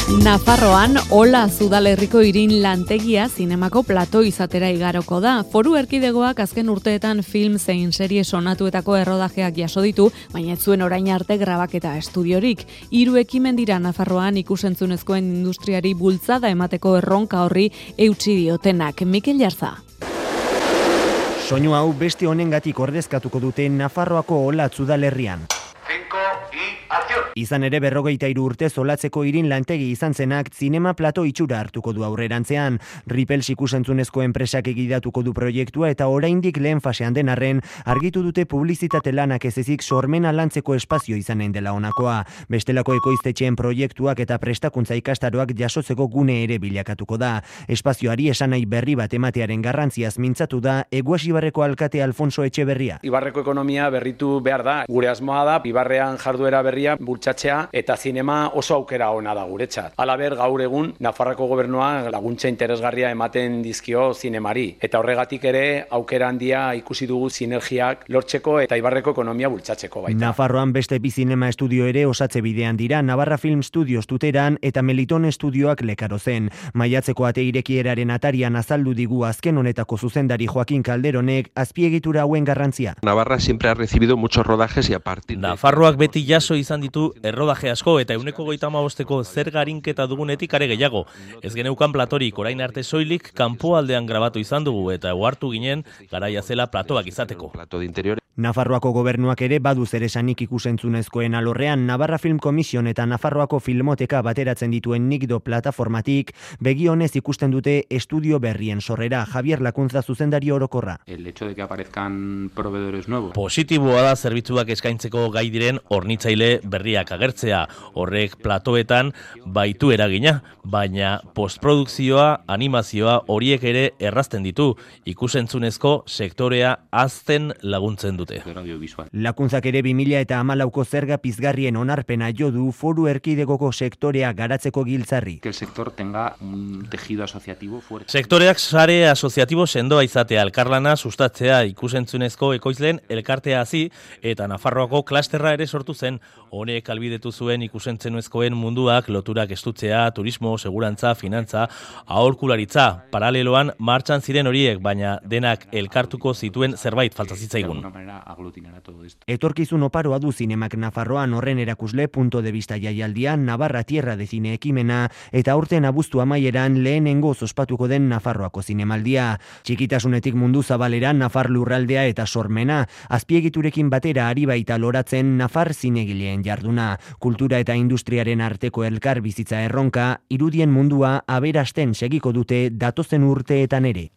Nafarroan, Ola Zudalerriko irin lantegia zinemako plato izatera igaroko da. Foru erkidegoak azken urteetan film zein serie sonatuetako errodajeak jaso ditu, baina ez zuen orain arte grabaketa estudiorik. 3 ekimen dira Nafarroan ikusentzunezkoen industriari bultzada emateko erronka horri eutsi diotenak. Mikel Jarza. Soinu hau beste honengatik ordezkatuko dute Nafarroako Ola Zudalerrian. Izan ere 43 urte zolatzeko irin lantegi izan zenak zinema plato itxura hartuko du aurrerantzean. Ripels ikusentzunezko enpresak egidatuko du proiektua eta oraindik lehen fasean den arren argitu dute publizitate lanak ez ezik sormena lantzeko espazio izanen dela honakoa. Bestelako ekoiztetxeen proiektuak eta prestakuntza ikastaroak jasotzeko gune ere bilakatuko da. Espazioari esanai berri bat ematearen garrantziaz mintzatu da Eguasibarreko alkate Alfonso Etxeberria. Ibarreko ekonomia berritu behar da. Gure asmoa da Ibarrean jarduera berria bultzatzea eta zinema oso aukera ona da guretzat. Halaber gaur egun Nafarroako gobernua laguntza interesgarria ematen dizkio zinemari eta horregatik ere aukera handia ikusi dugu sinergiak lortzeko eta Ibarreko ekonomia bultzatzeko baita. Nafarroan beste bi zinema estudio ere osatze bidean dira, Navarra Film Studios Tuteran eta Meliton Estudioak Lekarozen. Maiatzeko ate irekieraren atarian azaldu digu azken honetako zuzendari Joaquin Calderonek azpiegitura hauen garrantzia. Navarra siempre ha recibido muchos rodajes y a partir de Nafarroak beti jaso izan ditu errodaje asko eta 135eko zerga arinketa dugunetik are gehiago. Ez geneukan platorik orain arte soilik kanpoaldean grabatu izan dugu eta ohartu ginen garaia zela platoak izateko. plato de interior. Nafarroako gobernuak ere badu zeresanik ikusentzunezkoen alorrean. Navarra Film Commission eta Nafarroako Filmoteka bateratzen dituen Nikdo plataformatik begionez ikusten dute estudio berrien sorrera. Javier Lakuntza zuzendari orokorra. El hecho de que aparezcan proveedores nuevos. Positiboa da zerbitzuak eskaintzeko gai diren hornitzaile berriak agertzea. Horrek platoetan baitu eragina, baina postprodukzioa, animazioa horiek ere errazten ditu. Ikusentzunezko sektorea hazten laguntzen dute. Lakuntzak ere 2014ko zerga pizgarrien onarpena jo du Foru Erkidegoko sektorea garatzeko giltzarri. Que el sector tenga un tejido asociativo fuerte. Sektoreak sare asoziatibo sendoa izatea, elkarlana sustatzea, ikusentzunezko ekoizleen elkartea hasi eta Nafarroako klasterra ere sortu zen. Honek albidetu zuen ikusentzunezkoen munduak loturak estutzea, turismo, segurantza, finantza, aholkularitza. Paraleloan martxan ziren horiek, baina denak elkartuko zituen zerbait falta zitzaigun. Etorkizun oparoa du zinemak Nafarroan horren erakusle punto de vista jaialdia, Navarra Tierra de Cine ekimena eta aurten abuztu amaieran lehenengo ospatuko den Nafarroako zinemaldia. Txikitasunetik mundu zabaleran Nafar lurraldea eta sormena, azpiegiturekin batera ari baita loratzen Nafar zinegileen jarduna. Kultura eta industriaren arteko elkar bizitza erronka, irudien mundua aberasten segiko dute datozen urteetan ere.